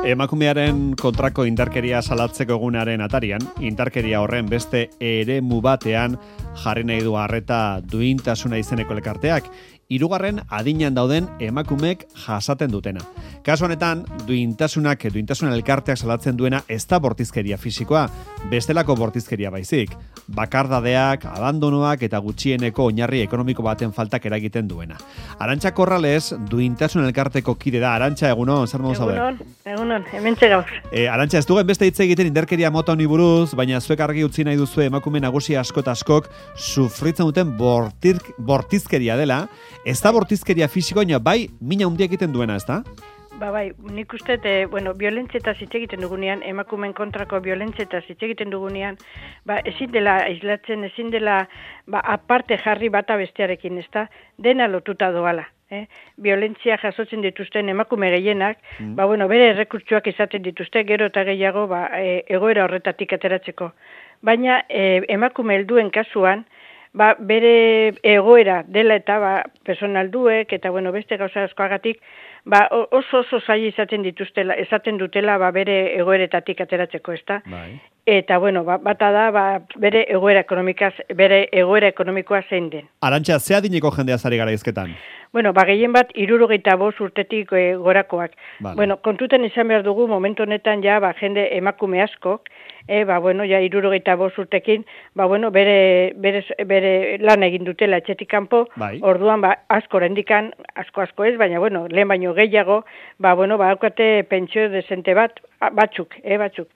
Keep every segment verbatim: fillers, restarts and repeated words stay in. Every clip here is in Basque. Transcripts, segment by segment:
Emakumearen kontrako indarkeria salatzeko egunaren atarian, indarkeria horren beste eremu batean jarri nahi du arreta duintasuna izeneko elkarteak, hirugarren adinean dauden emakumeek jasaten dutena. Kasu honetan, duintasunak, duintasuna elkarteak salatzen duena ez da bortizkeria fisikoa, bestelako bortizkeria baizik. Bakardadeak, abandonoak eta gutxieneko oinarri ekonomiko baten faltak eragiten duena. Arantxa Corrales, duintasuna elkarteko kide da. Arantxa, egunon, zer modu zaude? Egunon, egunon, hementxe gaur. E, Arantxa, ez dugen beste hitz egiten indarkeria mota honi buruz, baina zuek argi utzi nahi duzu emakume nagusi asko eta askok sufritzen duten bortir, bortizkeria dela. Ez da bortizkeria fisikoa, baina bai mina handia egiten duena, ez da? Ba bai, nik uste, e, bueno, violentzieta hitz egiten dugunean, emakumeen kontrako violentzieta hitz egiten dugunean, ba, ezin dela aislatzen, ezin dela ba, aparte jarri bata bestearekin, ez da, dena lotuta doala. Eh? Violentzia jasotzen dituzten emakume gehienak, mm. ba, bueno, bere errekurtsuak izaten dituzte, gero eta gehiago ba, e, egoera horretatik ateratzeko. Baina e, emakume helduen kasuan, ba, bere egoera dela eta ba, personalduek eta bueno, beste gauza askoagatik, ba, oso oso zaila izaten dituztela, esaten dutela ba, bere egoeretatik ateratzeko, ezta? Bai. Eta bueno, ba, bata da ba, bere egoera ekonomikaz, bere egoera ekonomikoa zein den. Arantxa, ze adineko jendea zari gara izketan? Bueno, ba, gehien bat hirurogeita bost urtetik e, gorakoak. Vale. Bueno, kontuten izan behar dugu momentu honetan ja ba, jende emakume askok, e, ba, bueno, ja hirurogeita bost urtekin, ba, bueno, bere, bere, bere lan egin dutela etxetik kanpo, bai. Orduan ba, asko rendikan, asko asko ez, baina bueno, lehen baino gehiago, ba, bueno, ba, haukate pentsio desente bat, batzuk, e, batzuk.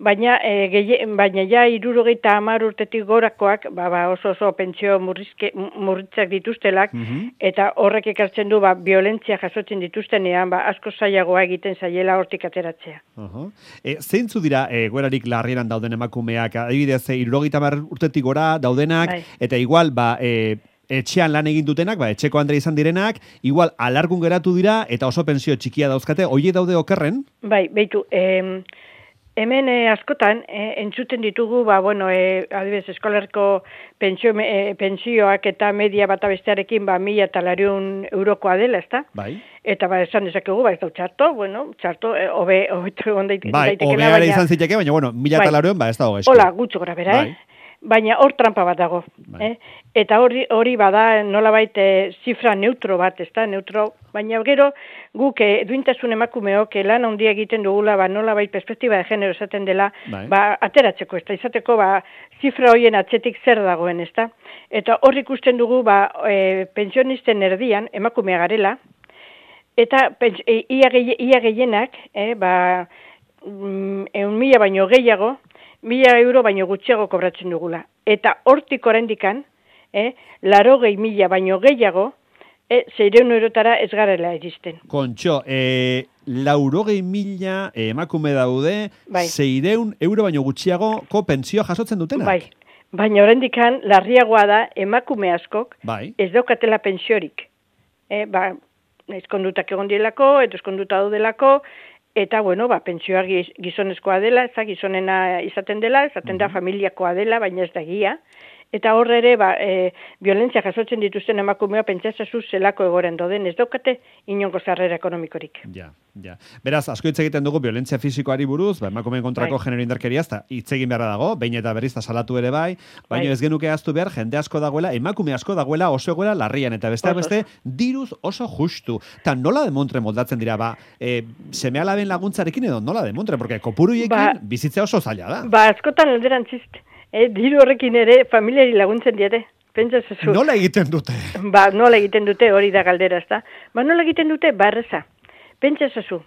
Baina, e, gehi, baina ja hirurogeita hamar urtetik gorakoak, ba, ba, oso oso pentsio murrizke, murritzak dituztelak, mm-hmm. eta horrek ekartzen du, ba, violentzia jasotzen dituztenean, ba, asko zailagoa egiten zaiela hortik ateratzea. Uh-huh. E, zeintzu dira e, goerarik larrieran dauden emakumeak, adibidez, hirurogeita hamar urtetik gora daudenak, bai. Eta igual, ba, e, etxean lan egin dutenak, ba, etxeko andre izan direnak, igual alargun geratu dira, eta oso pentsio txikia dauzkate, hoiek daude okerren? Bai, beitu, em... Hemen eh, askotan, eh, entzuten ditugu, ba, bueno, eh, adibidez, eskolarko pentsio, eh, pentsioak eta media bata bestearekin, ba, mila eta lariun eurokoa dela, ezta? Bai. Eta, ba, esan dezakegu, ba, ez da txarto, bueno, txarto, eh, obe, obe, obe, bai, obeare izan ziteke, baina, bueno, mila eta lariun, ba, ez da hogeizko. Hola, gutxo gara, bera, bai. eh? Baina hor trampa bat dago, bai. eh? Eta hori hori bada nolabait e, zifra neutro bat, ezta, neutro, baina gero guk e, duintasun emakumeok lan handia egiten dugula, ba nolabait perspektiba de genero esaten dela, bai. Ba ateratzeko, ezta, izateko ba zifra hoien atzetik zer dagoen, ezta? Eta hor ikusten dugu ba e, pensionisten erdian emakumea garela, eta pens, e, ia, gehi, ia gehienak, eh, ba mm, eun mila baino gehiago, mila euro baino gutxiago kobratzen dugula. Eta hortik oraindikan, eh, larogei mila baino gehiago, eh, seireun eurotara ez garela iristen. Kontxo, eh, laurogei mila emakume daude, bai. Seireun euro baino gutxiagoko pentsio jasotzen dutenak? Bai, baina oraindikan larriagoa da emakume askok, bai. Ez daukatela pentsiorik. Eh, ba, ezkondutak egon dielako, eta ezkonduta daudelako, eta, bueno, ba, pentsioa gizonezkoa dela, ez da, gizonena izaten dela, izaten da familiakoa dela, baina ez da egia. Eta horre ere, ba, e, violentzia jasotzen dituzten emakumea pentsatzazu zelako egoren doden, ez daukate inongo sarrera ekonomikorik. Ja, ja. Beraz, asko hitz egiten dugu violentzia fisikoari buruz, ba, emakumeen kontrako bai. Genero indarkeria, eta hitz egin beharra dago, behin eta berriz da salatu ere bai, baina bai. Ez genuke ahaztu behar, jende asko dagoela, emakume asko dagoela oso egoera larrian, eta beste beste, diruz oso justu. Ta nola demontre moldatzen dira, ba, e, seme alaben laguntzarekin edo nola demontre, porque kopuruiekin ba, bizitzea oso zaila da. Ba, askotan alderantzist. Eh, diru horrekin ere familiari laguntzen diete. Pentsatzen. Nola egiten dute? Ba, nola egiten dute hori da galdera, ezta? Ba, nola egiten dute? Barreza. Pentsatzen.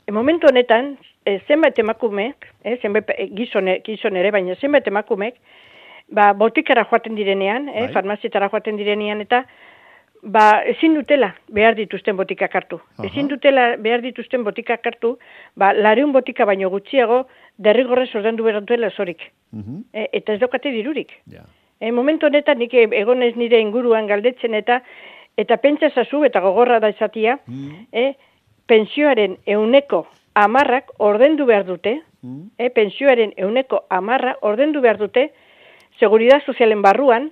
E, momentu honetan, e, zenbait emakumeek, e, zenbait gizone, gizon ere, baina zenbait emakumeek, ba, botikara joaten direnean, e, farmazietara joaten direnean, eta ba, ezin dutela behar dituzten botikak hartu. Aha. Ezin dutela behar dituzten botikak hartu, ba, lareun botika baino gutxiago, derrigorrez ordendu behar duela zorik. Uh-huh. E, eta ez daukate dirurik. Yeah. E, momentu honetan nik egonez nire inguruan galdetzen eta eta pentsazazu eta gogorra da izatia, uh-huh. e, pensioaren euneko amarrak ordendu behar dute, uh-huh. e, pensioaren euneko amarra ordendu behar dute, seguridad sozialen barruan,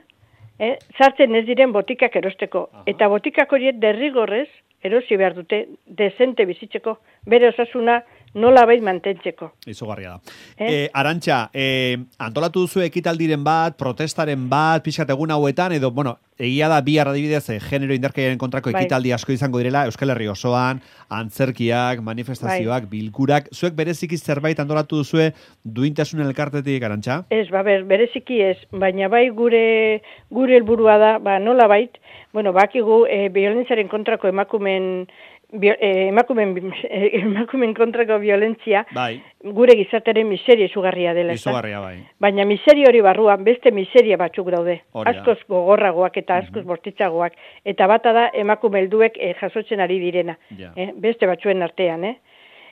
e, sartzen ez diren botikak erosteko. Uh-huh. Eta botikak horiek derrigorrez erosi behar dute, dezente bizitzeko, bere osasuna nola bait mantentzeko. Izugarria da. Eh? Eh, Arantxa, eh, antolatu duzu ekitaldiren bat, protestaren bat, pixkat egun hauetan, edo, bueno, egia da bihar adibidez, eh, genero indarkeriaren kontrako Bai. ekitaldi asko izango direla, Euskal Herri osoan, antzerkiak, manifestazioak, Bai. bilkurak, zuek bereziki zerbait antolatu duzue duintasun elkartetik, Arantxa? Ez, ba, ber, bereziki ez, baina bai gure gure helburua da, ba, nola bait, bueno, bakigu e, violentziaren kontrako emakumen, bio, e, emakumen, e, emakumen kontrako violentzia, Bai. gure gizartearen miseria izugarria dela. ezta? Izugarria, bai. Baina miseria hori barruan beste miseria batzuk daude. Hori da. Askoz gogorragoak eta askoz bortitzagoak. Eta bata da emakume helduek e, jasotzen ari direna. Ja. Eh, beste batzuen artean, eh?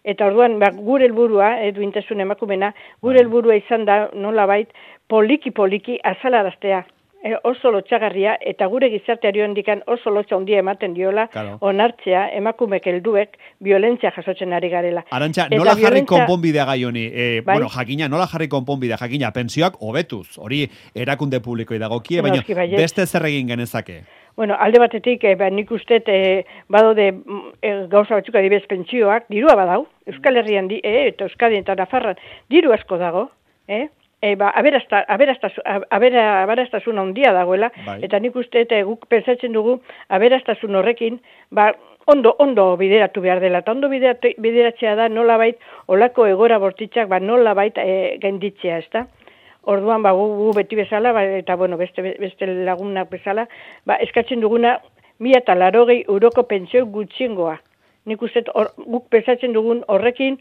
Eta orduan, ba, gure helburua, eh, duintasun emakumena, gure Bai. helburua izan da nolabait poliki-poliki azalaraztea. E, oso lotxagarria eta gure gizarteari hondikan oso lotxa handia ematen diola Claro. onartzea emakumek helduek violentzia jasotzen ari garela. Arantxa, Eta nola jarri violentzia- konponbidea gai honi? E, Bai. Bueno, jakina, nola jarri konponbidea? Jakina, pensioak hobetuz. Hori erakunde publikoi dagokie, baina Noski baietz. beste zer egin genezake. Bueno, alde batetik, eh, ba, nik uste eh, badaude mm, eh, gauza batzuk adibidez pentsioak, dirua badau, Euskal Herrian, di, eh, eta Euskadin eta Nafarran, diru asko dago, eh? E, ba, aberasta, aberastazun, abera, aberastasun handia dagoela, Bai. eta nik uste eta guk pentsatzen dugu aberastasun horrekin, ba, ondo, ondo bideratu behar dela, eta ondo bideratu, bideratzea da nolabait olako egora bortitzak, ba, nolabait e, gainditzea, ezta? Orduan, ba, gu, gu beti bezala, ba, eta bueno, beste, beste lagunak bezala, ba, eskatzen duguna, mila eta larogei euroko pentsio gutxiengoa. Nik uste, or, guk pensatzen dugun horrekin,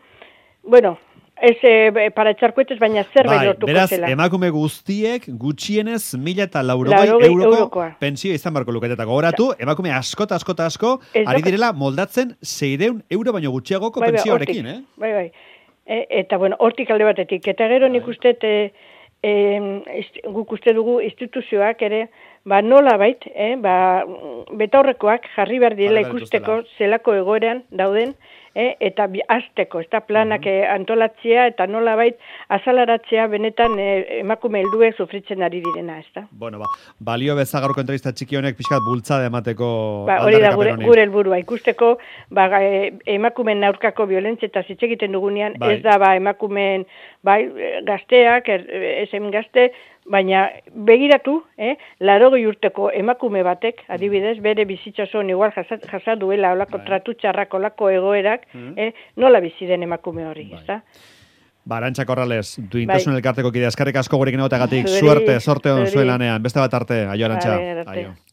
bueno, ez e, para etxarkuetez, baina zerbait Bai, lortuko beraz, zela. emakume guztiek gutxienez mila eta laurogei Laurogei euroko eurokoa. pensio izan barko luketeta. Gogoratu, emakume askota, askota, asko, Ez ari doka- direla moldatzen seireun euro baino gutxiagoko Bai, bai, pentsioarekin, hortik, eh? Bai, bai. E, eta, bueno, hortik alde batetik. Eta gero nik uste, e, e, ist, guk uste dugu instituzioak ere, ba, nola bait, eh, ba, betaurrekoak jarri behar direla Jarri behar ikusteko dituztela. zelako egoeran dauden, eh, eta bi, azteko, ez da planak eh, antolatzea eta nola bait azalaratzea benetan eh, emakume helduek sufritzen ari direna, ez da? Bueno, ba, balio beza gaurko entrevista txiki honek pixkat bultzada emateko Ba, hori da aldarrikapen gure, honi. gure helburua ikusteko, ba, e, emakumeen aurkako violentzia eta hitz egiten dugunean, Bai. ez da ba emakumeen bai e, gazteak, er, esen gazte, baina begiratu, eh, larogei urteko emakume batek, adibidez, bere bizitza osoan igual jasa, jasa duela olako Bai. tratu txarrak, olako egoerak, Mhm. eh, nola bizi den emakume hori, Bai. ezta? Ba, Arantxa Corrales, duintasun Bai. elkarteko kidea, eskarrik asko gurekin egoteagatik, Zuri, suerte, sorte on zuri. zuen lanean, beste bat arte, aio Arantxa. Vale, arte. Aio.